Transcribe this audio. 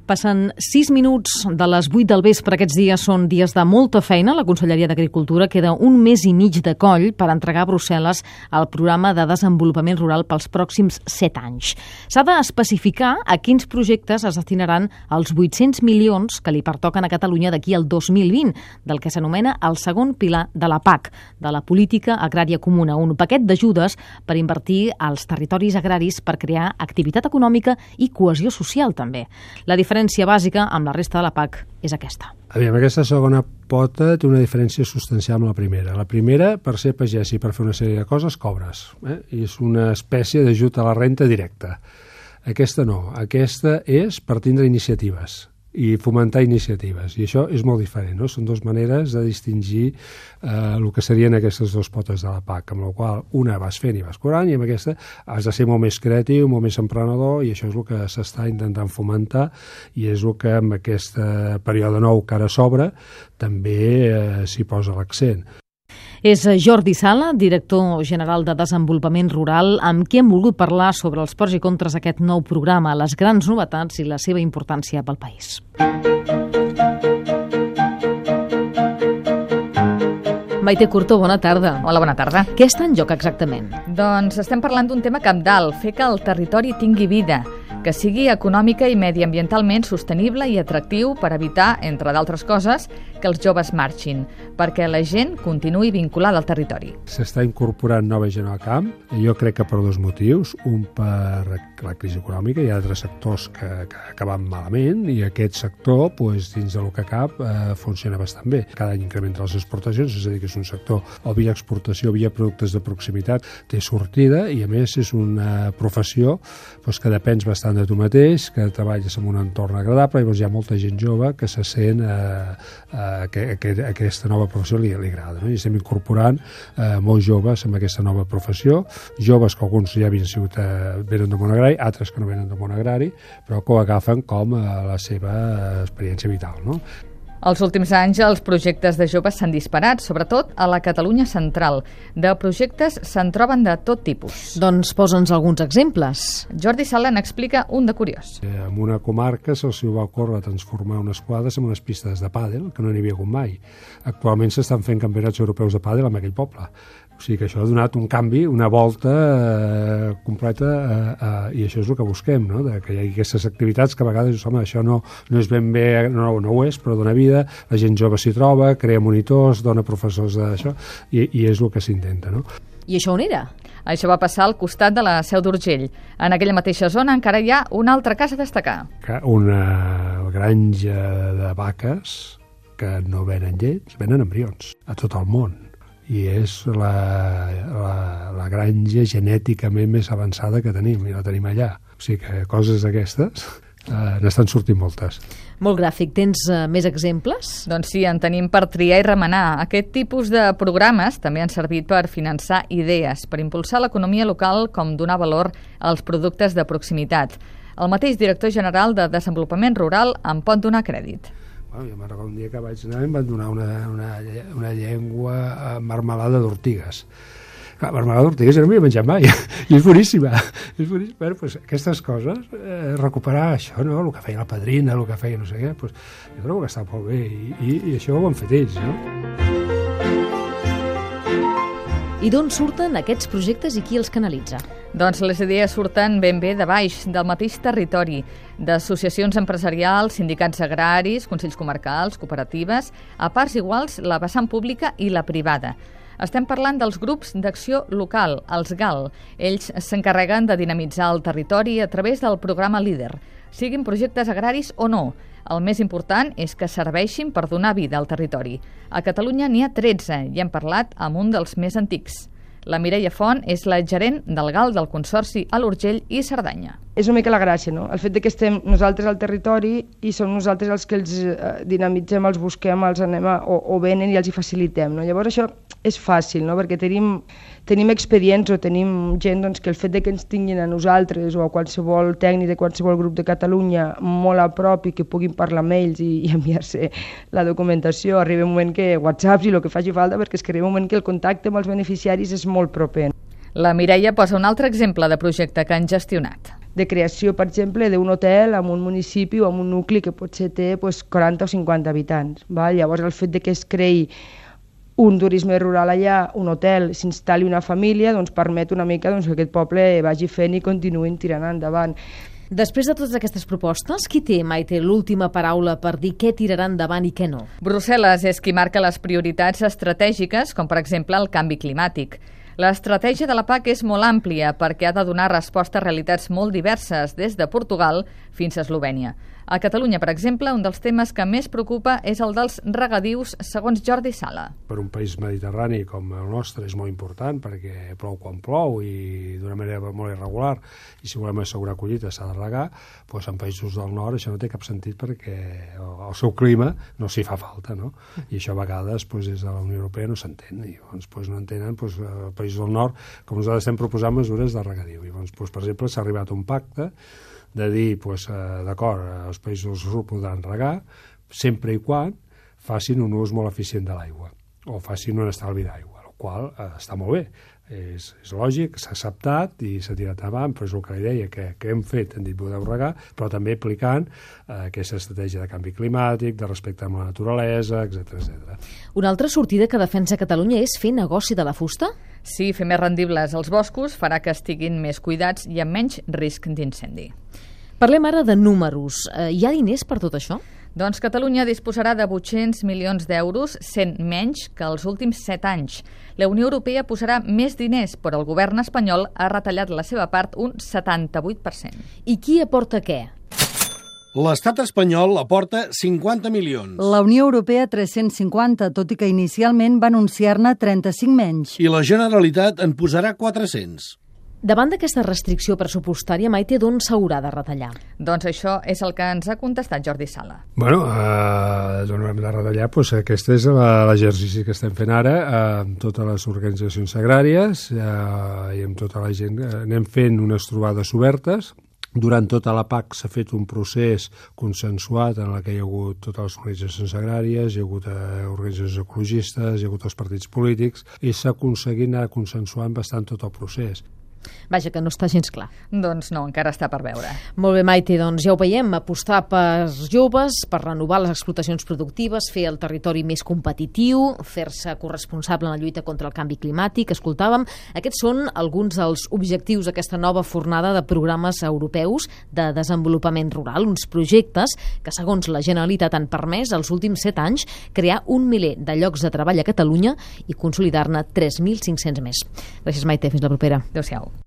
Passen 6 minuts de les 8 del vespre. Aquests dies són dies de molta feina. La Conselleria d'Agricultura queda un mes i mig de coll per entregar a Brussel·les el programa de desenvolupament rural pels pròxims 7 anys. S'ha d'especificar a quins projectes es destinaran els 800 milions que li pertoquen a Catalunya d'aquí al 2020, del que s'anomena el segon pilar de la PAC, de la Política Agrària Comuna, un paquet d'ajudes per invertir als territoris agraris per crear activitat econòmica i cohesió social també. La diferència bàsica amb la resta de la PAC és aquesta. Aquesta segona pota té una diferència substancial amb la primera. La primera, per ser pagès i per fer una sèrie de coses, cobres. I és una espècie d'ajut a la renta directa. Aquesta no. Aquesta és per tindre iniciatives i fomentar iniciatives. I això és molt diferent, no? Són dues maneres de distingir el que serien aquestes dues potes de la PAC, amb la qual una vas fent i vas cobrant, i amb aquesta has de ser molt més creatiu, molt més emprenedor, i això és el que s'està intentant fomentar, i és el que amb aquest període nou que ara s'obre també s'hi posa l'accent. És Jordi Sala, director general de Desenvolupament Rural, amb qui hem volgut parlar sobre els pros i contres d'aquest nou programa, les grans novetats i la seva importància pel país. Maite Curto, bona tarda. Hola, bona tarda. Què està en joc exactament? Doncs estem parlant d'un tema cabdal, fer que el territori tingui vida, que sigui econòmica i mediambientalment sostenible i atractiu per evitar, entre d'altres coses, que els joves marxin, perquè la gent continuï vinculada al territori. S'està incorporant nova gent al camp, jo crec que per dos motius, un per la crisi econòmica, hi ha altres sectors que van malament, i aquest sector, dins del que cap, funciona bastant bé. Cada any incrementa les exportacions, és a dir, que és un sector o via exportació o via productes de proximitat, té sortida, i a més és una professió que depens bastant de tu mateix, que treballes en un entorn agradable, i hi ha molta gent jove que se sent aquesta nova professió li agrada, no? I estem incorporant molts joves amb aquesta nova professió, joves que alguns ja venen del món agrari, altres que no venen del món agrari, però que ho agafen com la seva experiència vital, no? Els últims anys els projectes de joves s'han disparat, sobretot a la Catalunya central. De projectes se'n troben de tot tipus. Doncs posa'ns alguns exemples. Jordi Sala n'explica un de curiós. En una comarca se'ls va ocórrer transformar unes quadres en unes pistes de pàdel, que no n'hi havia hagut mai. Actualment s'estan fent campionats europeus de pàdel en aquell poble. O sigui que això ha donat un canvi, una volta completa, i això és el que busquem, no? Que hi hagi aquestes activitats que a vegades, això no és ben bé, no ho és, però dona vida, la gent jove s'hi troba, crea monitors, dona professors d'això, i és el que s'intenta, no? I això on era? Això va passar al costat de la Seu d'Urgell. En aquella mateixa zona encara hi ha una altra casa a destacar. Una granja de vaques que no venen llets, venen embrions a tot el món. I és la granja genèticament més avançada que tenim, i la tenim allà. O sigui que coses d'aquestes n'estan sortint moltes. Molt gràfic. Tens més exemples? Doncs sí, en tenim per triar i remenar. Aquest tipus de programes també han servit per finançar idees, per impulsar l'economia local com donar valor als productes de proximitat. El mateix director general de Desenvolupament Rural en pot donar crèdit. Jo me'n recordo un dia que vaig anar i em van donar una llengua marmelada d'ortigues. Marmelada d'ortigues jo no m'hi he menjat mai, i és boníssima. Bueno, aquestes coses, recuperar això, no? El que feia la padrina, el que feia no sé què, jo trobo que està molt bé, i això ho han fet ells, no? I d'on surten aquests projectes i qui els canalitza? Doncs les idees surten ben bé de baix, del mateix territori, d'associacions empresarials, sindicats agraris, consells comarcals, cooperatives, a parts iguals la vessant pública i la privada. Estem parlant dels grups d'acció local, els GAL. Ells s'encarreguen de dinamitzar el territori a través del programa LEADER, siguin projectes agraris o no. El més important és que serveixin per donar vida al territori. A Catalunya n'hi ha 13 i hem parlat amb un dels més antics. La Mireia Font és la gerent del GAL del Consorci a l'Urgell i Cerdanya. És una mica la gràcia, no? El fet que estem nosaltres al territori i som nosaltres els que els dinamitzem, els busquem, els anem o venen i els hi facilitem, no? Llavors això és fàcil, no? Perquè tenim expedients o tenim gent que el fet que ens tinguin a nosaltres o a qualsevol tècnic de qualsevol grup de Catalunya molt a prop i que puguin parlar amb ells i enviar-se la documentació, arriba un moment que WhatsApps i el que faci falta, perquè és que arriba un moment que el contacte amb els beneficiaris és molt proper. La Mireia posa un altre exemple de projecte que han gestionat. de creació, per exemple, d'un hotel en un municipi o en un nucli que potser té 40 o 50 habitants. Val? Llavors, el fet de que es creï un turisme rural allà, un hotel, s'instal·li una família, doncs permet una mica que aquest poble vagi fent i continuïn tirant endavant. Després de totes aquestes propostes, qui té, Maite, l'última paraula per dir què tirarà endavant i què no? Brussel·les és qui marca les prioritats estratègiques, com per exemple el canvi climàtic. L'estratègia de la PAC és molt àmplia perquè ha de donar resposta a realitats molt diverses, des de Portugal fins a Eslovènia. A Catalunya, per exemple, un dels temes que més preocupa és el dels regadius, segons Jordi Sala. Per un país mediterrani com el nostre és molt important perquè plou quan plou i d'una manera molt irregular, i si volem assegurar collita s'ha de regar, doncs en països del nord això no té cap sentit perquè el seu clima no s'hi fa falta, no? I això a vegades des de la Unió Europea no s'entén, i llavors no entenen països del nord, com nosaltres estem proposant mesures de regadiu. I llavors, per exemple, s'ha arribat a un pacte de dir, d'acord, els països del sud podran regar, sempre i quan facin un ús molt eficient de l'aigua, o facin un estalvi d'aigua, el qual està molt bé. És lògic, s'ha acceptat i s'ha tirat avant, però és el que li deia, que hem fet, hem dit podeu regar, però també aplicant aquesta estratègia de canvi climàtic, de respecte amb la naturalesa, etc. Una altra sortida que defensa Catalunya és fer negoci de la fusta? Sí, fer més rendibles els boscos farà que estiguin més cuidats i amb menys risc d'incendi. Parlem ara de números. Hi ha diners per tot això? Doncs Catalunya disposarà de 800 milions d'euros, 100 menys que els últims 7 anys. La Unió Europea posarà més diners, però el govern espanyol ha retallat la seva part un 78%. I qui aporta què? L'estat espanyol aporta 50 milions. La Unió Europea 350, tot i que inicialment va anunciar-ne 35 menys. I la Generalitat en posarà 400. Davant d'aquesta restricció pressupostària, Maite, d'on s'haurà de retallar? Doncs això és el que ens ha contestat Jordi Sala. D'on hem de retallar? Aquest és l'exercici que estem fent ara amb totes les organitzacions agràries i amb tota la gent. Anem fent unes trobades obertes. Durant tota la PAC s'ha fet un procés consensuat en què hi ha hagut totes les organitzacions agràries, hi ha hagut organitzacions ecologistes, hi ha hagut els partits polítics, i s'ha aconseguit anar consensuant bastant tot el procés. Vaja, que no està gens clar. Doncs no, encara està per veure. Molt bé, Maite, doncs ja ho veiem, apostar per joves, per renovar les explotacions productives, fer el territori més competitiu, fer-se corresponsable en la lluita contra el canvi climàtic, escoltàvem. Aquests són alguns dels objectius d'aquesta nova fornada de programes europeus de desenvolupament rural, uns projectes que, segons la Generalitat, han permès els últims 7 anys crear 1 miler de llocs de treball a Catalunya i consolidar-ne 3.500 més. Gràcies, Maite. Fins la propera. Adéu-siau.